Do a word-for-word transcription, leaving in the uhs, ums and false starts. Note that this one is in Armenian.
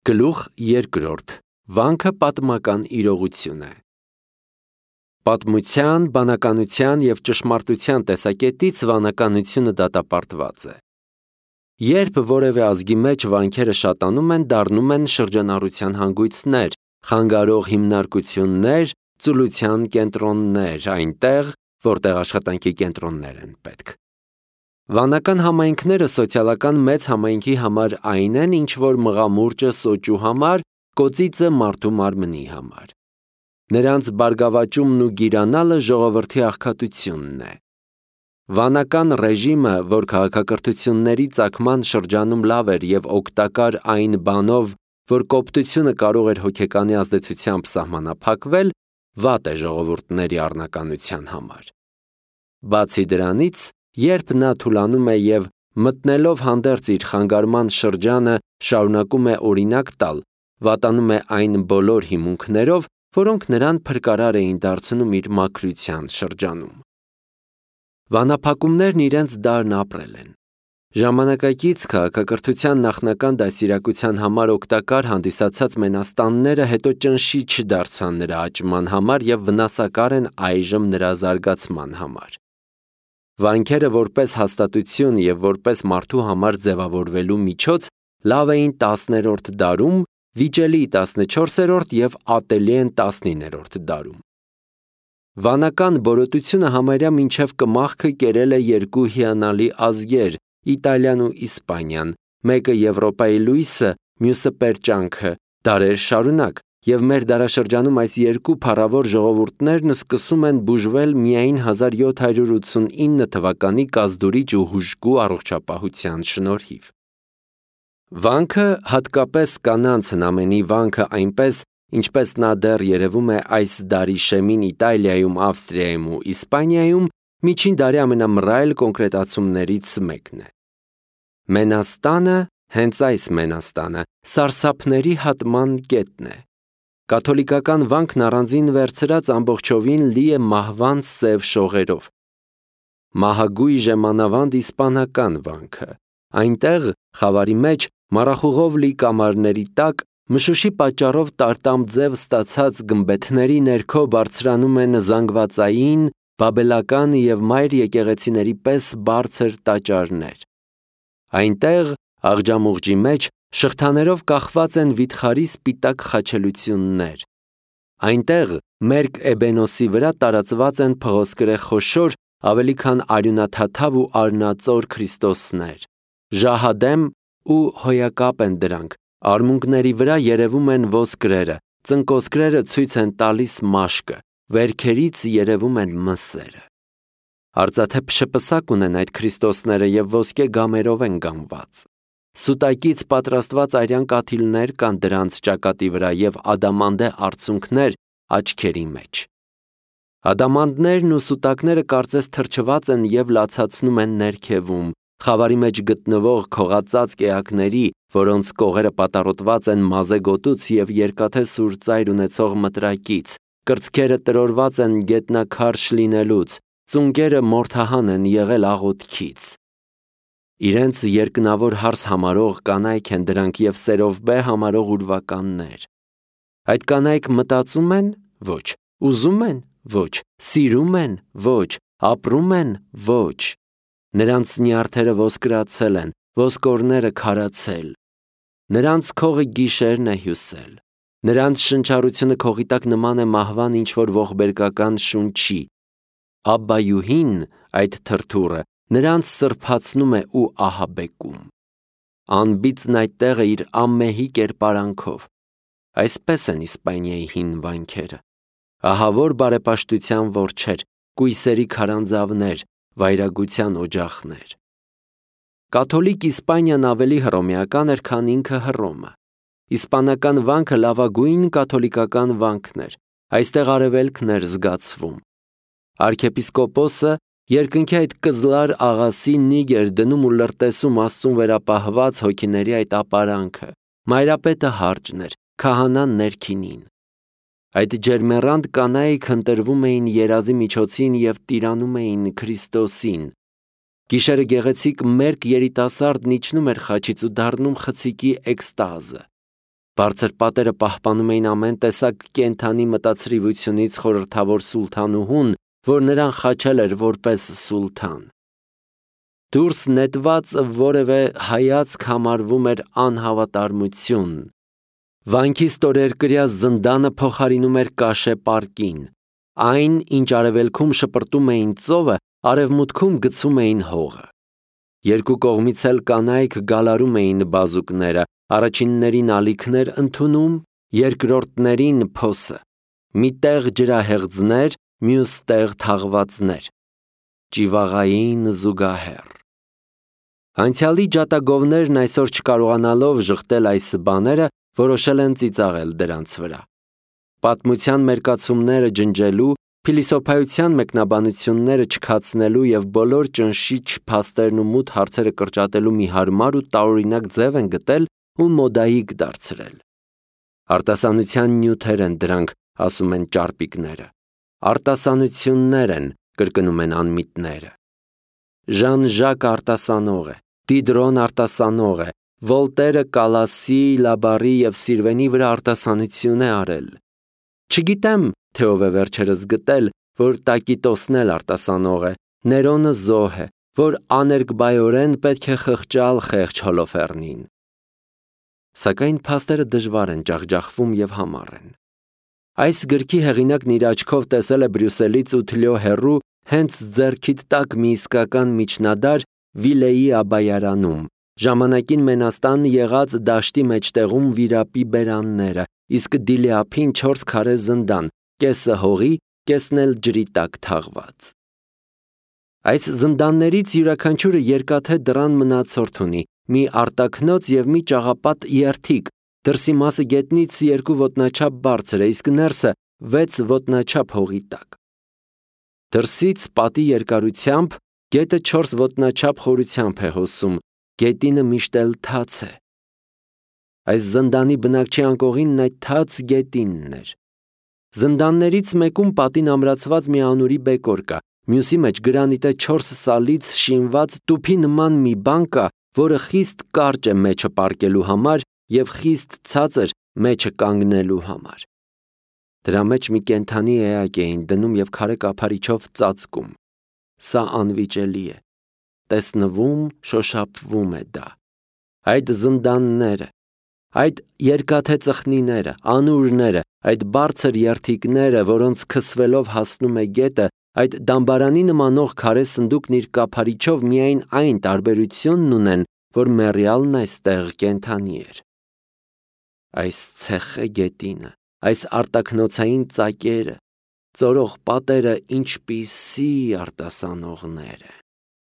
Գլուխ երկրորդ. Վանքը պատմական իրողություն է։ Պատմության, բանականության և ճշմարտության տեսակետից վանականությունը դատապարտված է։ Երբ որևէ ազգի մեջ վանքերը շատանում են, դառնում են շրջանառության հանգույցներ, խանգարող հիմնարկություններ, ծուլության կենտրոններ այնտեղ, որտեղ աշխատանքի կենտրոններ են պետք։ Վանական համայնքները սոցիալական մեծ համայնքի համար այն են, ինչ որ մղամուրջը սոճու համար, կոծիծը մարդու մարմնի համար։ Նրանց բարգավաճումն ու գիրանալը ժողովրդի աղքատությունն է։ Վանական ռեժիմը, որ քաղաքակրթությունների ծագման շրջանում լավ էր և օգտակար այն բանով, որ կոպտությունը կարող էր հոգեկանի ազդեցությամբ սահմանափակվել, վատ է ժողովուրդների առնականության համար։ Բացի դրանից, երբ նա թուլանում է և մտնելով հանդերձ իր խանգարման շրջանը շարունակում է օրինակ տալ, վատանում է այն բոլոր հիմունքներով, որոնք նրան փրկարար էին դարձնում իր մաքրության շրջանում։ Վանափակումներն իրենց դարն ապրել են։ Ժամանակակից քաղաքակրթության նախնական դաստիարակության համար օգտակար հանդիսացած մենաստանները հետո ճնշիչ դարձան նրա աճման համար և վնասակար են այժմ նրա զարգացման համար։ Վանքերը որպես հաստատություն և որպես մարդու համար ձևավորվելու միջոց լավ էին տասներորդ դարում, վիճելի տասնչորսերորդ և ատելի են տասնիններորդ դարում։ Վանական բորոտությունը համարյա մինչև կմախքը կերել է երկու հիանալի ազգեր՝ Իտալիան ու Իսպանիան, մեկը Եվրոպայի լույսը, մյուսը պերճանքը, դարեր շարունակ, և մեր դարաշրջանում այս երկու փառավոր ժողովուրդներն սկսում են բուժվել միայն հազար յոթ հարյուր ութսունինը թվականի կազդուրիչ ու հուժկու առողջապահության շնորհիվ։ Վանքը, հատկապես կանանց հնամենի վանքը այնպես, ինչպես նա դեռ երևում է այս դարի շեմին Իտալիայում, Ավստրիայում ու Իսպանիայում, միջին դարի ամենամռայլ կոնկրետացումներից մեկն է։ Մենաստանը, հենց այս մենաստանը, սարսափների հատման կետն է։ Կաթոլիկական վանքն առանձին վերցրած ամբողջովին լի է մահվան սև շողերով։ Մահագույժ է մանավանդ իսպանական վանքը։ Այնտեղ, խավարի մեջ, մառախուղով լի կամարների տակ, մշուշի պատճառով տարտամ ձև ստացած գմբեթների ներքո բարձրանում են զանգվածային, բաբելական և մայր եկեղեցիների պես բարձր տաճարներ։ Այնտեղ, աղջամուղջի մեջ, շղթաներով կախված են վիթխարի սպիտակ խաչելություններ։ Այնտեղ, մերկ էբենոսի վրա տարածված են փղոսկրե խոշոր, ավելի քան արյունաթաթավ ու արնածոր քրիստոսներ։ Ժահադեմ ու հոյակապ են դրանք, արմունկների վրա երևում են ոսկրերը, ծնկոսկրերը ցույց են տալիս մաշկը, վերքերից երևում են մսերը։ Արծաթե փշպսակ ունեն այդ քրիստոսները և ոսկե գամերով են գամված։ Սուտակից պատրաստված արյան կաթիլներ կան դրանց ճակատի վրա և ադամանդե արցունքներ աչքերի մեջ։ Ադամանդներն ու սուտակները կարծես թրջված են և լացացնում են ներքևում, խավարի մեջ գտնվող քողածածկ էակների, որոնց կողերը պատառոտված են մազե գոտուց և երկաթե սուր ծայր ունեցող մտրակից, կրծքերը տրորված են գետնաքարշ լինելուց, ծունկերը մորթահան են եղել աղոթքից։ Իրենց երկնավոր հարս համարող կանայք են դրանք և սերովբե համարող ուրվականներ։ Այդ կանայք մտածում են։ Ոչ։ Ուզում են։ Ոչ։ Սիրում են։ Ոչ։ Ապրում են։ Ոչ։ Նրանց նյարդերը ոսկրացել են, ոսկորները քարացել։ Նրանց քողը գիշերն է հյուսել։ Նրանց շնչառությունը քողի տակ նման է մահվան ինչ-որ ողբերգական շունչի։ Աբբայուհին, այդ թրթուրը, նրանց սրբացնում է ու ահաբեկում։ Անբիծն այդտեղ է իր անմեհի կերպարանքով։ Այսպես են Իսպանիայի հին վանքերը։ Ահավոր բարեպաշտության որջեր, կույսերի քարանձավներ, վայրագության օջախներ։ Կաթոլիկ Իսպանիան ավելի հռոմեական էր, քան ինքը Հռոմը։ Իսպանական վանքը լավագույն կաթոլիկական վանքն էր։ Այստեղ արևելքն էր զգացվում։ Արքեպիսկոպոսը երկնքի այդ կզլար աղասի նիգ էր դնում ու լրտեսում Աստծուն վերապահված հոգիների այդ ապարանքը։ Մայրապետը հարճն էր, քահանան ներքինին։ Այդ ջերմեռանդ կանայք ընտրվում էին երազի միջոցին և տիրանում էին Քրիստոսին։ Գիշերը գեղեցիկ մերկ երիտասարդն իջնում էր խաչից ու դառնում խցիկի էքստազը։ Բարձր պատերը պահպանում էին ամեն տեսակ կենդանի մտածրիվությունից խորհրդավոր սուլթանուհուն, որ նրան խաչել էր որպես սուլթան։ Դուրս նետված որևէ հայացք համարվում էր անհավատարմություն։ Վանքի ստորերկրյա զնդանը փոխարինում էր կաշե պարկին։ Այն, ինչ արևելքում շպրտում էին ծովը, արևմուտքում գցում էին հողը։ Երկու կողմից էլ կանայք գալարում էին բազուկները, առաջիններին ալիքներ ընդունում, երկրորդներին փոսը։ Մի տեղ ջրահեղձներ, մյուս տեղ թաղվածներ։ Ճիվաղային զուգահեռ։ Անցյալի ջատագովներն այսօր չկարողանալով ժխտել այս բաները, որոշել են ծիծաղել դրանց վրա։ Պատմության մերկացումները ջնջելու, փիլիսոփայության մեկնաբանությունները չքացնելու եւ բոլոր ճնշիչ փաստերն ու մութ հարցերը կրճատելու մի հարմար ու տարօրինակ ձև են գտել ու մոդայիկ դարձրել։ Արտասանության նյութեր են դրանք, ասում են ճարպիկները։ Արտասանություններ են, կրկնում են անմիտները։ Ժան-Ժակ արտասանող է, Դիդրոն արտասանող է, Վոլտերը Կալասի, Լաբարի եւ Սիրվենի վրա արտասանություն է արել։ Չգիտեմ, թե ով է վերջերս գտել, որ Տակիտոսն էլ արտասանող է, Ներոնը զոհ է, որ աներկբայորեն պետք է խղճալ խեղճ Հոլոֆեռնին։ Սակայն փաստերը դժվար են, ջախջախվում եւ համառ են։ Այս գրքի հեղինակն իր աչքով տեսել է Բրյուսելից ութ լյո հեռու հենց ձեռքիդ տակ մի իսկական միջնադար Վիլեի Աբայարանում, ժամանակին Մենաստան եղած դաշտի մեջտեղում վիրապի բերանները, իսկ Դիլեափին չորս քարե զնդան, կեսը հողի, կեսն էլ ջրի տակ թաղված։ Այս զնդաններից յուրաքանչյուրը երկաթե դռան մնացորդ ունի, մի արտաքնոց եւ մի ճաղապատ երթիկ, դրսի մասը գետնից երկու ոտնաչափ բարձր է, իսկ ներսը վեց ոտնաչափ հողի տակ։ Դրսից պատի երկարությամբ գետը չորս ոտնաչափ խորությամբ է հոսում, գետինը միշտ էլ թաց է։ Այս զնդանի բնակչի անկողինն այդ թաց գետինն էր։ Զնդաններից մեկում պատին ամրացված մի անուրի բեկոր կա, մյուսի մեջ գրանիտե չորս սալից շինված տուփի նման մի բան կա, որը խիստ կարճ է մեջը պառկելու համար եւ խիստ ցածր մեջը կանգնելու համար։ Դրա մեջ մի կենդանի էակ էին դնում եւ քարե կափարիչով ծածկում։ Սա անվիճելի է։ Տեսնվում, շոշափվում է դա։ Այդ զնդանները, այդ երկաթե ծխնիները, անուրները, այդ բարձր երթիկները, որոնց քսվելով հասնում է գետը, այդ դամբարանի նմանող քարե սնդուկն իր կափարիչով միայն այն տարբերությունն ունեն, որ մեռյալն այստեղ կենդանի էր։ Այս ցեխե գետինը, այս արտաքնոցային ծակերը, ծորող պատերը ինչպիսի արտասանողներ են։